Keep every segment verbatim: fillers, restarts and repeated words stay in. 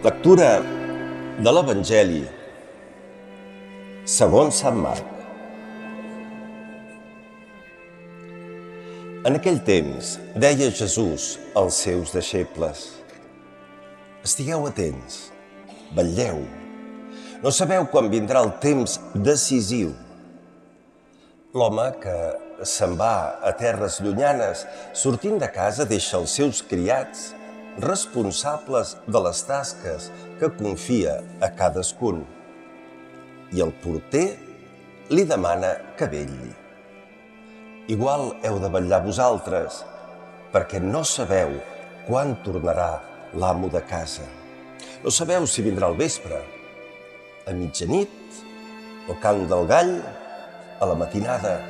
Lectura de l'Evangeli segons Sant Marc. En aquell temps deia Jesús als seus deixebles: estigueu atents, vetlleu. No sabeu quan vindrà el temps decisiu. L'home que se'n va a terres llunyanes, sortint de casa, deixa els seus criats responsables de les tasques que confia a cadascun. I el porter li demana que vetlli. Igual heu de vetllar vosaltres, perquè no sabeu quan tornarà l'amo de casa. No sabeu si vindrà al vespre, a mitjanit, al cant del gall, a la matinada.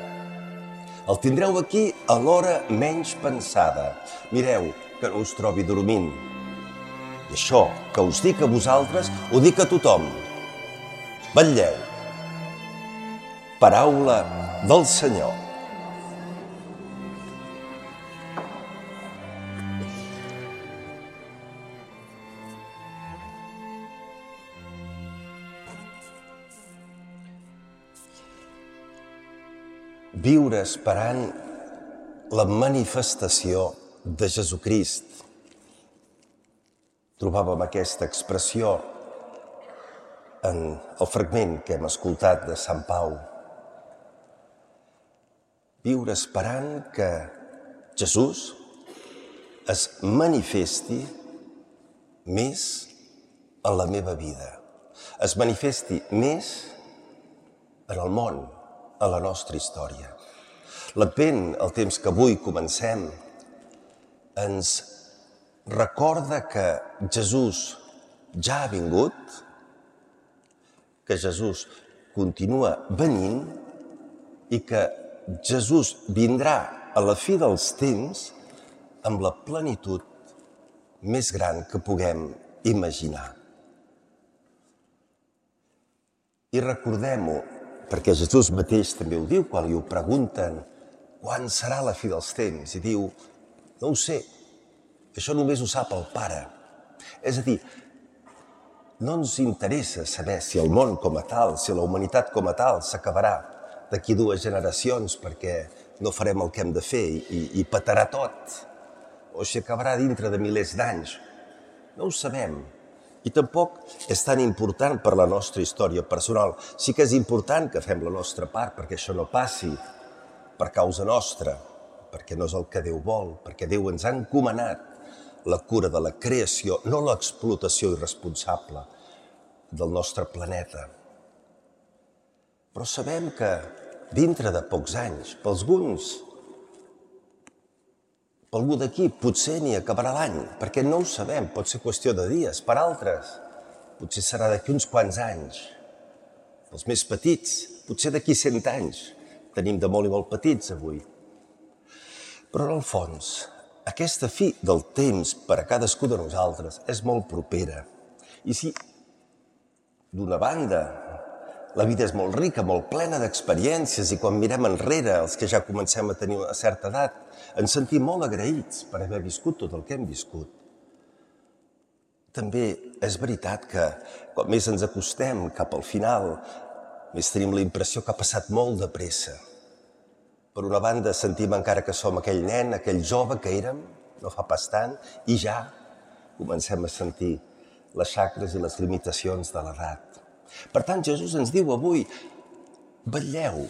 El tindreu aquí a l'hora menys pensada. Mireu que no us trobi dormint. I això que us dic a vosaltres, ho dic a tothom. Vetlleu. Paraula del Senyor. Viure esperant la manifestació de Jesucrist. Trobàvem aquesta expressió en el fragment que hem escoltat de Sant Pau. Viure esperant que Jesús es manifesti més en la meva vida, es manifesti més en el món, a la nostra història. L'Advent, el temps que avui comencem, ens recorda que Jesús ja ha vingut, que Jesús continua venint i que Jesús vindrà a la fi dels temps amb la plenitud més gran que puguem imaginar. I recordem-ho, perquè Jesús mateix també ho diu quan li ho pregunten quan serà la fi dels temps. I diu, no ho sé, això només ho sap el Pare. És a dir, no ens interessa saber si el món com a tal, si la humanitat com a tal s'acabarà d'aquí dues generacions perquè no farem el que hem de fer i, i petarà tot, o si acabarà dintre de milers d'anys. No ho sabem. I tampoc és tan important per la nostra història personal. Sí que és important que fem la nostra part perquè això no passi per causa nostra, perquè no és el que Déu vol, perquè Déu ens ha encomanat la cura de la creació, no l'explotació irresponsable del nostre planeta. Però sabem que dintre de pocs anys, per alguns, per algú d'aquí potser ni acabarà l'any, perquè no ho sabem, pot ser qüestió de dies. Per altres, potser serà d'aquí uns quants anys. Els més petits, potser d'aquí cent anys. Tenim de molt i molt petits avui. Però en el fons, aquesta fi del temps per a cadascú de nosaltres és molt propera. I si, d'una banda, la vida és molt rica, molt plena d'experiències i quan mirem enrere, els que ja comencem a tenir una certa edat, ens sentim molt agraïts per haver viscut tot el que hem viscut. També és veritat que quan més ens acostem cap al final, més tenim la impressió que ha passat molt de pressa. Per una banda, sentim encara que som aquell nen, aquell jove que érem, no fa pas tant, i ja comencem a sentir les xacres i les limitacions de l'edat. Per tant, Jesús ens diu avui, vetlleu,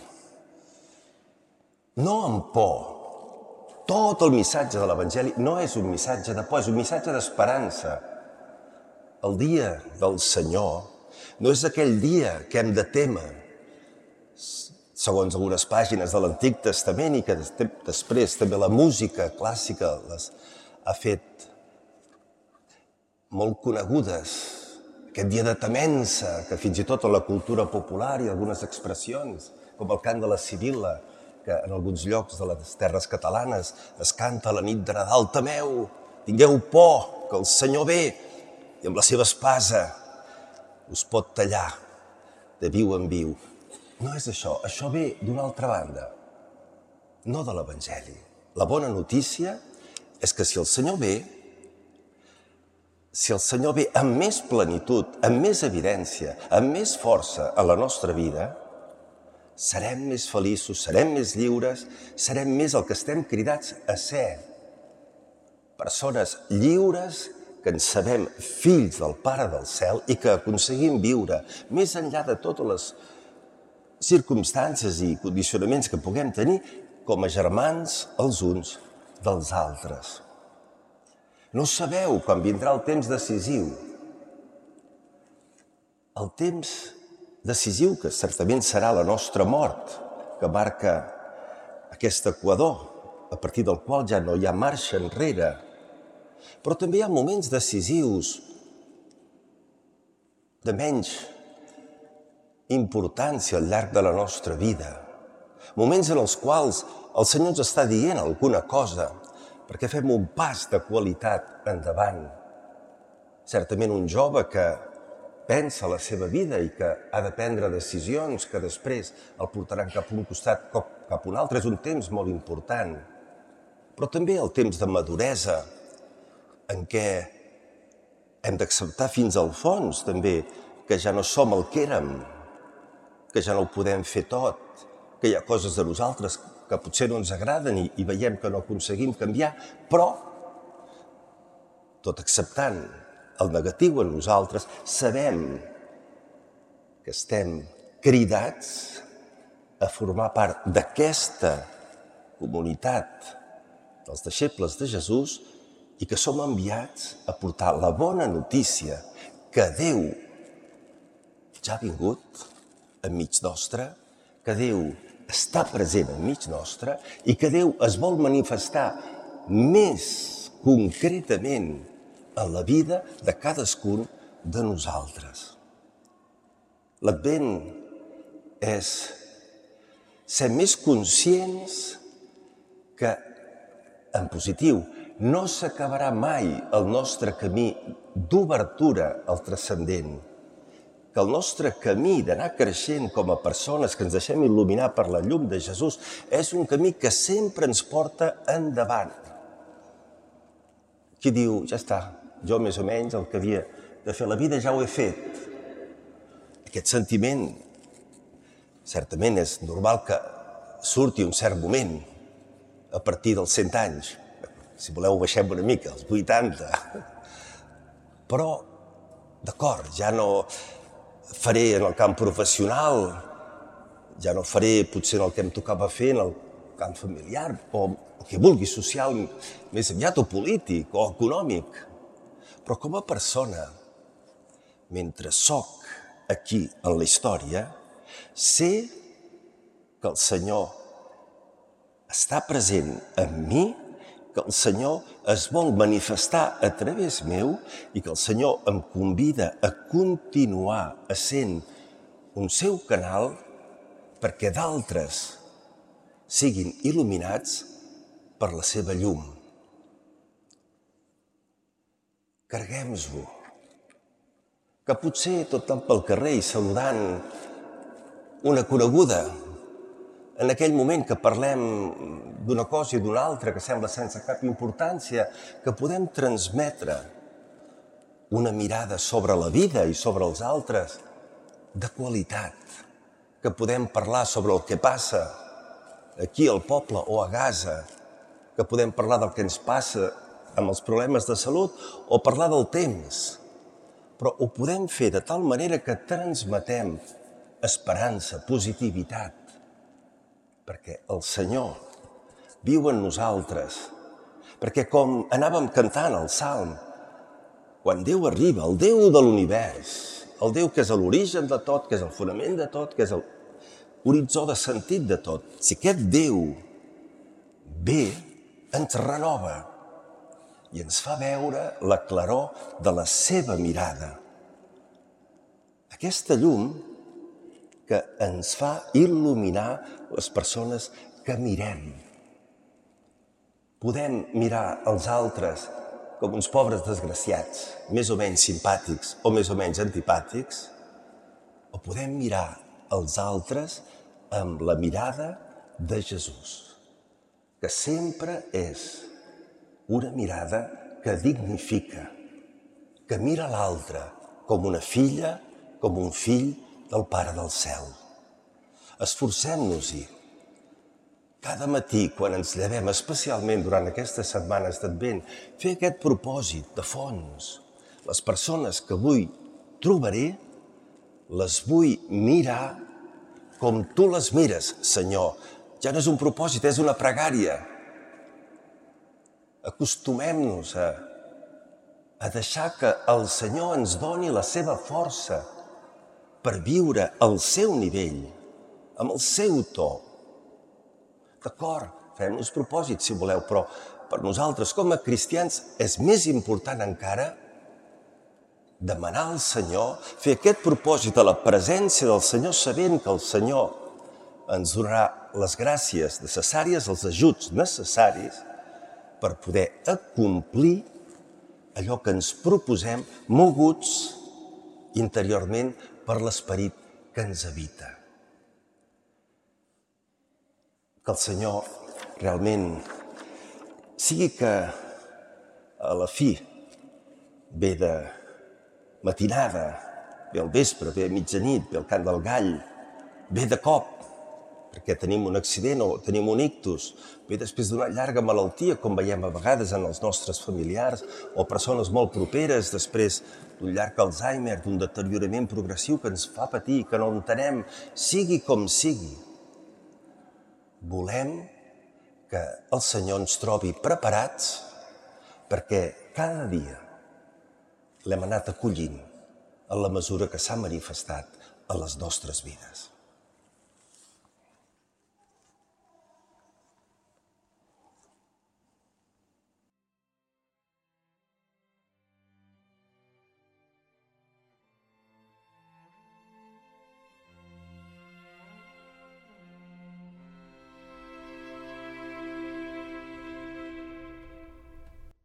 no amb por. Tot el missatge de l'Evangeli no és un missatge de por, és un missatge d'esperança. El dia del Senyor no és aquell dia que hem de témer, segons algunes pàgines de l'Antic Testament i que després també la música clàssica les ha fet molt conegudes. Aquest dia de temença, que fins i tot en la cultura popular hi ha algunes expressions, com el cant de la Sibil·la, que en alguns llocs de les terres catalanes es canta a la nit de Nadal. Temeu, tingueu por, que el Senyor ve i amb la seva espasa us pot tallar de viu en viu. No és això, això ve d'una altra banda, no de l'Evangeli. La bona notícia és que si el Senyor ve, si el Senyor ve amb més plenitud, amb més evidència, amb més força a la nostra vida, serem més feliços, serem més lliures, serem més el que estem cridats a ser. Persones lliures que ens sabem fills del Pare del Cel i que aconseguim viure més enllà de totes les circumstàncies i condicionaments que puguem tenir com a germans els uns dels altres. No sabeu quan vindrà el temps decisiu. El temps decisiu que certament serà la nostra mort, que marca aquest equador, a partir del qual ja no hi ha marxa enrere. Però també hi ha moments decisius de menys importància al llarg de la nostra vida. Moments en els quals el Senyor ens està dient alguna cosa perquè fem un pas de qualitat endavant. Certament un jove que pensa la seva vida i que ha de prendre decisions que després el portaran cap a un costat o cap a un altre és un temps molt important. Però també el temps de maduresa, en què hem d'acceptar fins al fons també que ja no som el que érem, que ja no ho podem fer tot, que hi ha coses de nosaltres que potser no ens agraden i, i veiem que no aconseguim canviar, però, tot acceptant el negatiu en nosaltres, sabem que estem cridats a formar part d'aquesta comunitat dels deixebles de Jesús i que som enviats a portar la bona notícia que Déu ja ha vingut enmig nostre, que Déu està present enmig nostre i que Déu es vol manifestar més concretament en la vida de cadascun de nosaltres. L'Advent és ser més conscients que, en positiu, no s'acabarà mai el nostre camí d'obertura al transcendent, que el nostre camí d'anar creixent com a persones que ens deixem il·luminar per la llum de Jesús és un camí que sempre ens porta endavant. Qui diu, ja està, jo més o menys el que havia de fer a la vida ja ho he fet. Aquest sentiment certament és normal que surti un cert moment a partir dels cent anys. Si voleu baixem una mica, als vuitanta. Però, d'acord, ja no faré en el camp professional, ja no faré potser el que em tocava fer en el camp familiar, o el que vulgui, social, més aviat, o polític, o econòmic. Però com a persona, mentre soc aquí en la història, sé que el Senyor està present en mi, que el Senyor es vol manifestar a través meu i que el Senyor em convida a continuar essent un seu canal perquè d'altres siguin il·luminats per la seva llum. Carreguem-nos-ho. Que potser tot tant pel carrer i saludant una coneguda, en aquell moment que parlem d'una cosa i d'una altra que sembla sense cap importància, que podem transmetre una mirada sobre la vida i sobre els altres de qualitat, que podem parlar sobre el que passa aquí al poble o a Gaza, que podem parlar del que ens passa amb els problemes de salut o parlar del temps, però ho podem fer de tal manera que transmetem esperança, positivitat, perquè el Senyor viu en nosaltres, perquè com anàvem cantant el Salm, quan Déu arriba, el Déu de l'univers, el Déu que és l'origen de tot, que és el fonament de tot, que és l'horitzó de sentit de tot, si aquest Déu ve, ens renova i ens fa veure la claror de la seva mirada. Aquesta llum que ens fa il·luminar les persones que mirem. Podem mirar els altres com uns pobres desgraciats, més o menys simpàtics o més o menys antipàtics, o podem mirar els altres amb la mirada de Jesús, que sempre és una mirada que dignifica, que mira l'altre com una filla, com un fill del Pare del Cel. Esforcem-nos-hi. Cada matí, quan ens llevem, especialment durant aquestes setmanes d'Advent, fer aquest propòsit de fons. Les persones que avui trobaré, les vull mirar com tu les mires, Senyor. Ja no és un propòsit, és una pregària. Acostumem-nos a, a deixar que el Senyor ens doni la seva força per viure al seu nivell, amb el seu to. D'acord, fem-nos propòsits, si voleu, però per nosaltres, com a cristians, és més important encara demanar al Senyor, fer aquest propòsit a la presència del Senyor, sabent que el Senyor ens donarà les gràcies necessàries, els ajuts necessaris per poder acomplir allò que ens proposem, moguts interiorment per l'esperit que ens habita. Que el Senyor realment sigui que a la fi ve de matinada, ve al vespre, ve a mitjanit, ve al cant del gall, ve de cop, perquè tenim un accident o tenim un ictus, ve després d'una llarga malaltia, com veiem a vegades en els nostres familiars, o persones molt properes, després d'un llarg Alzheimer, d'un deteriorament progressiu que ens fa patir, que no entenem, sigui com sigui. Volem que el Senyor ens trobi preparats perquè cada dia l'hem anat acollint en la mesura que s'ha manifestat a les nostres vides.